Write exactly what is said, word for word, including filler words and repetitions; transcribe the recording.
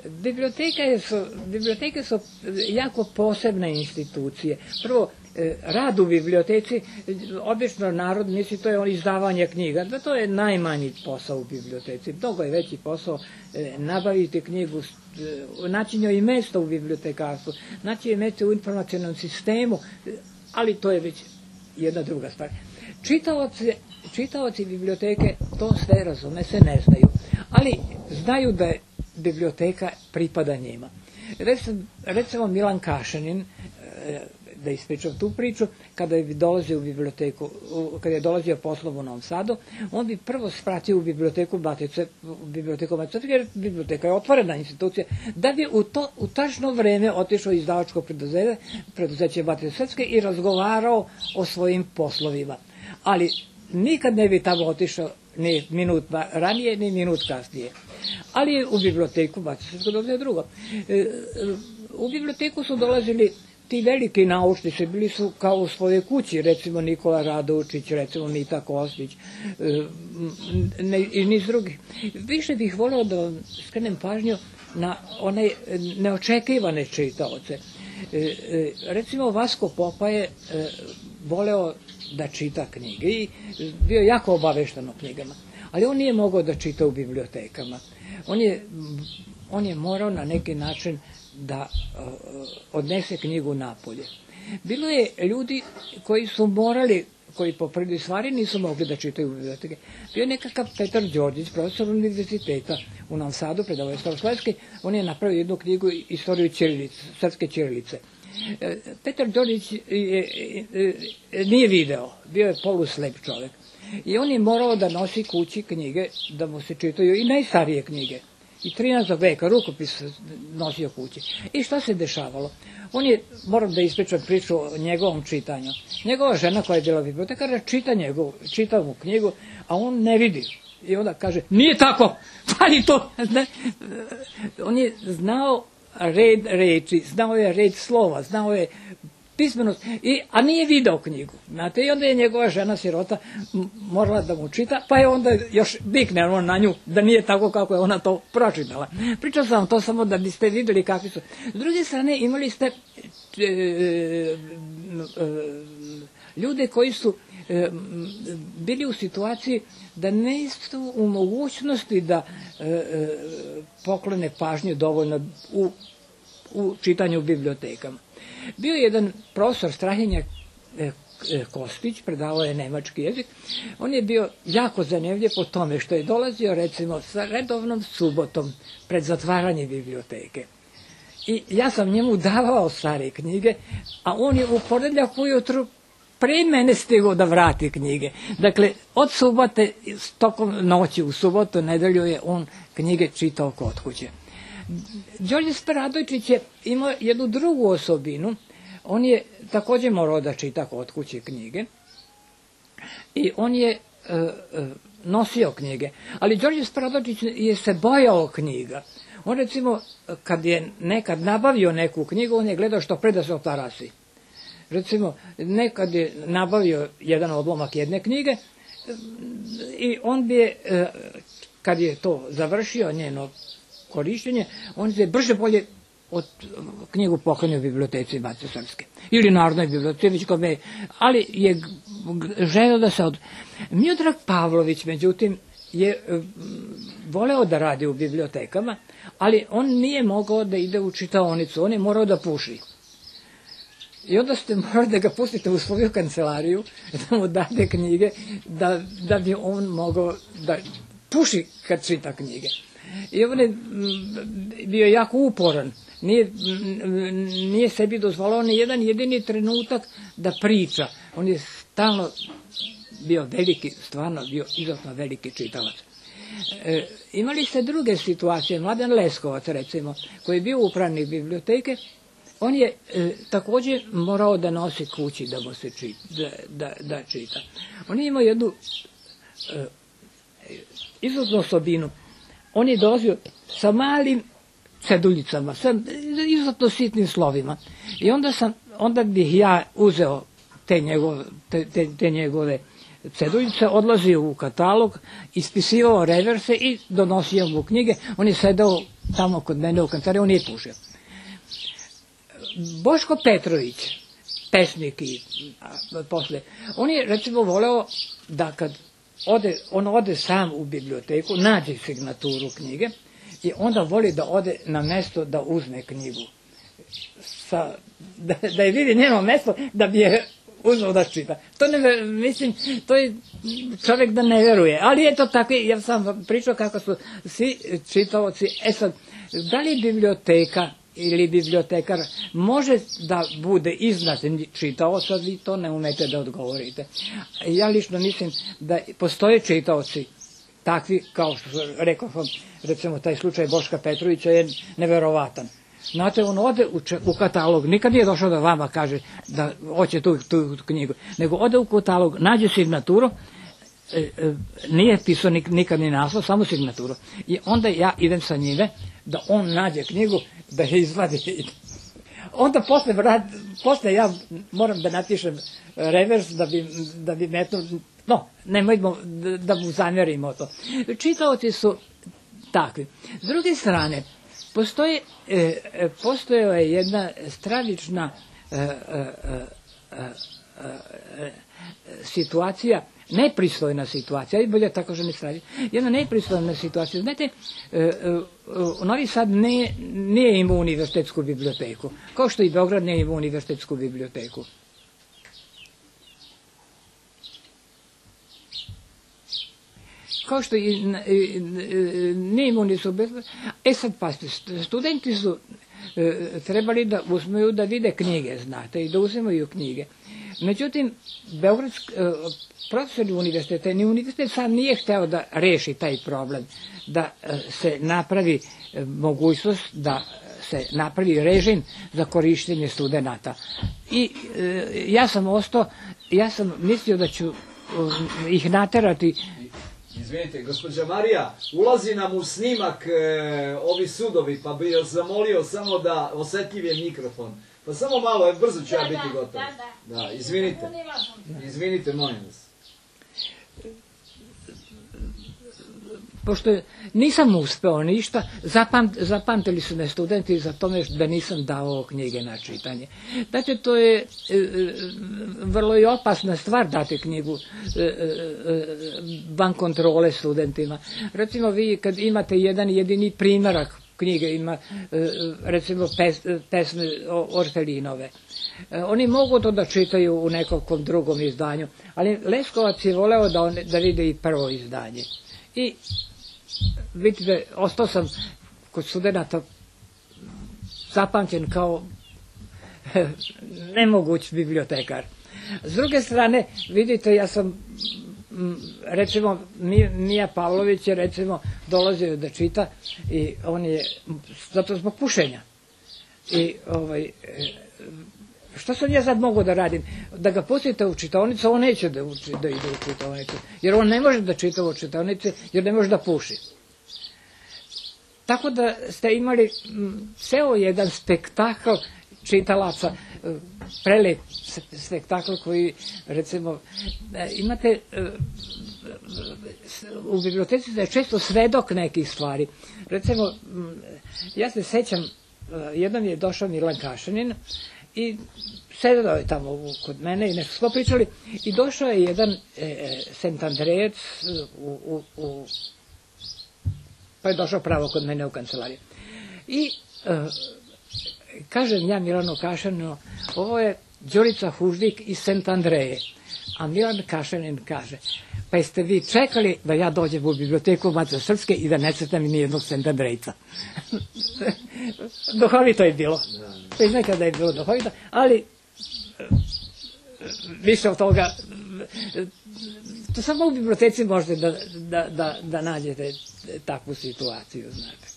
Biblioteke su, biblioteke su jako posebne institucije. Prvo, rad u biblioteci, obično narod misli to je izdavanje knjiga, da to je najmanji posao u biblioteci. Mnogo je veći posao nabaviti knjigu, naći njoj i mesto u bibliotekarstvu, naći joj mesto u informacionalnom sistemu, ali to je već jedna druga stvar. Čitaoci, čitaoci biblioteke to sve razume, se ne znaju, ali znaju da je biblioteka pripada njima. Recimo Milan Kašanin, da ispričam tu priču, kada je dolazio u biblioteku, kada je dolazio poslom u Novom Sadu, on bi prvo spratio u biblioteku Matice, u biblioteku Matice, jer biblioteka je otvorena institucija, da bi u to u tačno vreme otišao izdavačko preduzeće, preduzeće Matice Srpske i razgovarao o svojim poslovima. Ali nikad ne bi tamo otišao ni minut ranije, ni minut kasnije. Ali u biblioteku Matice Srpske dolazio drugo. U biblioteku su dolazili ti veliki naučnici, bili su kao u svojoj kući, recimo Nikola Radovičić, recimo Mita Kostić ne, i niz drugih. Više bih voleo da vam skrenem pažnju na one neočekivane čitaoce. Recimo Vasko Popa je voleo da čita knjige i bio jako obavešten o knjigama, ali on nije mogao da čita u bibliotekama. On je, on je morao na neki način da uh, odnese knjigu napolje. Bilo je ljudi koji su morali, koji po prvi stvari nisu mogli da čitaju u biblioteke. Bio je nekakav Petar Đorđić, profesor univerziteta u Novom Sadu, predavao je Staroslavski, on je napravio jednu knjigu Istoriju ćirilice, srpske ćirilice. Petar Đorđić je, je, je, nije video, bio je poluslep čovek. I on je morao da nosi kući knjige, da mu se čitaju i najstarije knjige. I trinaestog veka, rukopis nosio kući. I šta se dešavalo? On je, moram da ispričam priču o njegovom čitanju. Njegova žena koja je bila bibliotekara čita njegovu, čita mu knjigu, a on ne vidi. I onda kaže, nije tako, pa i to. Ne? On je znao red reči, znao je red slova, znao je pismenost, i, a nije video knjigu. Znate, i onda je njegova žena sirota morala da mu čita, pa je onda još vikne on na nju da nije tako kako je ona to pročitala. Pričao sam vam to samo da biste vidjeli kakvi su. S druge strane, imali ste e, e, ljude koji su e, bili u situaciji da ne su u mogućnosti da e, e, poklone pažnju dovoljno u, u čitanju u bibliotekama. Bio je jedan profesor Strahinja Kostić, predavao je nemački jezik. On je bio jako zanimljiv po tome što je dolazio recimo sa redovnom subotom pred zatvaranje biblioteke. I ja sam njemu davao stare knjige, a on je u ponedjeljak ujutru pre mene stigao da vrati knjige. Dakle, od subote, tokom noći u subotu, nedelju je on knjige čitao kod kuće. Đorđe Radojčić je imao jednu drugu osobinu. On je također morao da čita kod kuće knjige i on je e, e, nosio knjige. Ali Đorđe Radojčić je se bojao knjiga. On recimo, kad je nekad nabavio neku knjigu, on je gledao što pre da se otarasi. Recimo, nekad je nabavio jedan odlomak jedne knjige i on bi je, e, kad je to završio, njeno korištenje, on se brže bolje od knjigu poklonio u biblioteci Matice Srpske ili Narodnoj biblioteci, ali je želeo da se od... Miodrag Pavlović, međutim, je voleo da radi u bibliotekama, ali on nije mogao da ide u čitaonicu, on je morao da puši. I onda ste morali da ga pustite u svoju kancelariju, da mu date knjige, da, da bi on mogao da puši kad čita knjige. I on je bio jako uporan, nije, nije sebi dozvolao ni jedan jedini trenutak da priča. On je stalno bio veliki, stvarno bio izuzetno veliki čitalac. E, imali ste druge situacije, Mladen Leskovac recimo, koji je bio upravnik biblioteke, on je e, također morao da nosi kući da mu se čita, da, da, da čita. On je imao jednu e, izuzetnu osobinu. On je dolazio sa malim ceduljicama, sa izuzetno sitnim slovima. I onda, sam, onda bih ja uzeo te njegove, te, te, te njegove ceduljice, odlazio u katalog, ispisivao reverse i donosio mu knjige. On je sedao tamo kod mene u kancelariji, on nije pušio. Boško Petrović, pesnik i posle, on je recimo voleo da kad ode, on ode sam u biblioteku, nađe signaturu knjige i onda voli da ode na mesto da uzme knjigu. Sa, da, da je vidi njeno mesto da bi je uzmao da čita. To ne, mislim, to je čovjek da ne veruje, ali je to tako, ja sam pričao kako su svi čitaoci. E sad, da li biblioteka ili bibliotekar može da bude iznad čitaoca, vi to ne umete da odgovorite. Ja lično mislim da postoje čitaoci takvi, kao što rekao sam, recimo taj slučaj Boška Petrovića je neverovatan. Znate, on ode u, u katalog, nikad nije došao da vama kaže da hoće tu, tu knjigu, nego ode u katalog, nađe signaturu, e, e, nije pisao nik, nikad ni naslov, samo signaturu. I onda ja idem sa njime da on nađe knjigu, da je izvadi. Onda posle, posle ja moram da napišem revers da bi, da bi metno, no, nemojmo da, da mu zamjerimo to. Čitaoci su takvi. S druge strane, Postoji, e, postojala je jedna stravična e, e, e, e, situacija, nepristojna situacija, i bolje tako že ne stravi, jedna nepristojna situacija. Znate, e, e, Novi Sad ne, nije imao univerzitetsku biblioteku, kao što i Beograd nije imao univerzitetsku biblioteku. Kao što i nije imao nisu bezbedno. E sad, pazite, studenti su e, trebali da uzmeju da vide knjige, znate, i da uzimaju knjige. Međutim, Beogradski, e, profesori univerziteta, ni univerzitet sam nije hteo da reši taj problem, da e, se napravi e, mogućnost da se napravi režim za korištenje studenata. I e, ja sam ostao, ja sam mislio da ću e, ih naterati. Izvinite, gospođa Marija, ulazi nam u snimak e, ovi sudovi, pa bi joj zamolio samo da osetljiv je mikrofon. Pa samo malo, brzo ću ja biti gotov. Da, da. Da, izvinite. Izvinite, molim vas. Pošto nisam uspeo ništa, zapamt, zapamtili su me studenti za tome da nisam dao knjige na čitanje. Dakle, to je e, vrlo i opasna stvar dati knjigu e, e, van kontrole studentima. Recimo, vi kad imate jedan jedini primjerak knjige, ima e, recimo pes, pesme Orfelinove, e, oni mogu to da čitaju u nekom drugom izdanju, ali Leskovac je voleo da, on, da vide i prvo izdanje. I vidite, ostao sam kod studenta zapamćen kao nemoguć bibliotekar. S druge strane, vidite, ja sam, recimo, Mija Pavlović je, recimo, dolazio da čita i on je, zato zbog pušenja. I, ovaj, što sam ja sad mogu da radim? Da ga pustite u čitaonicu, on neće da, uči, da ide u čitaonicu. Jer on ne može da čita u čitaonici, jer ne može da puši. Tako da ste imali ceo jedan spektakl čitalaca, prelep spektakl koji, recimo, imate u biblioteci da je često svedok nekih stvari. Recimo, ja se sećam, jednom je došao Milan Kašanin i sedao je tamo kod mene i nešto smo pričali i došao je jedan e, Sentandrejac u, u, u, pa je došao pravo kod mene u kancelariju. I e, kažem ja Milanu Kašaninu, ovo je Đurica Huždik iz Sentandreje. A Milan Kašanin kaže, pa jeste vi čekali da ja dođem u biblioteku Mace Srpske i da ne crtam ni jednog Sentandrejca. Duhovito je bilo. To je nekada je bilo duhovito, ali više od toga, to samo u biblioteci možete da, da, da, da nađete takvu situaciju, znate.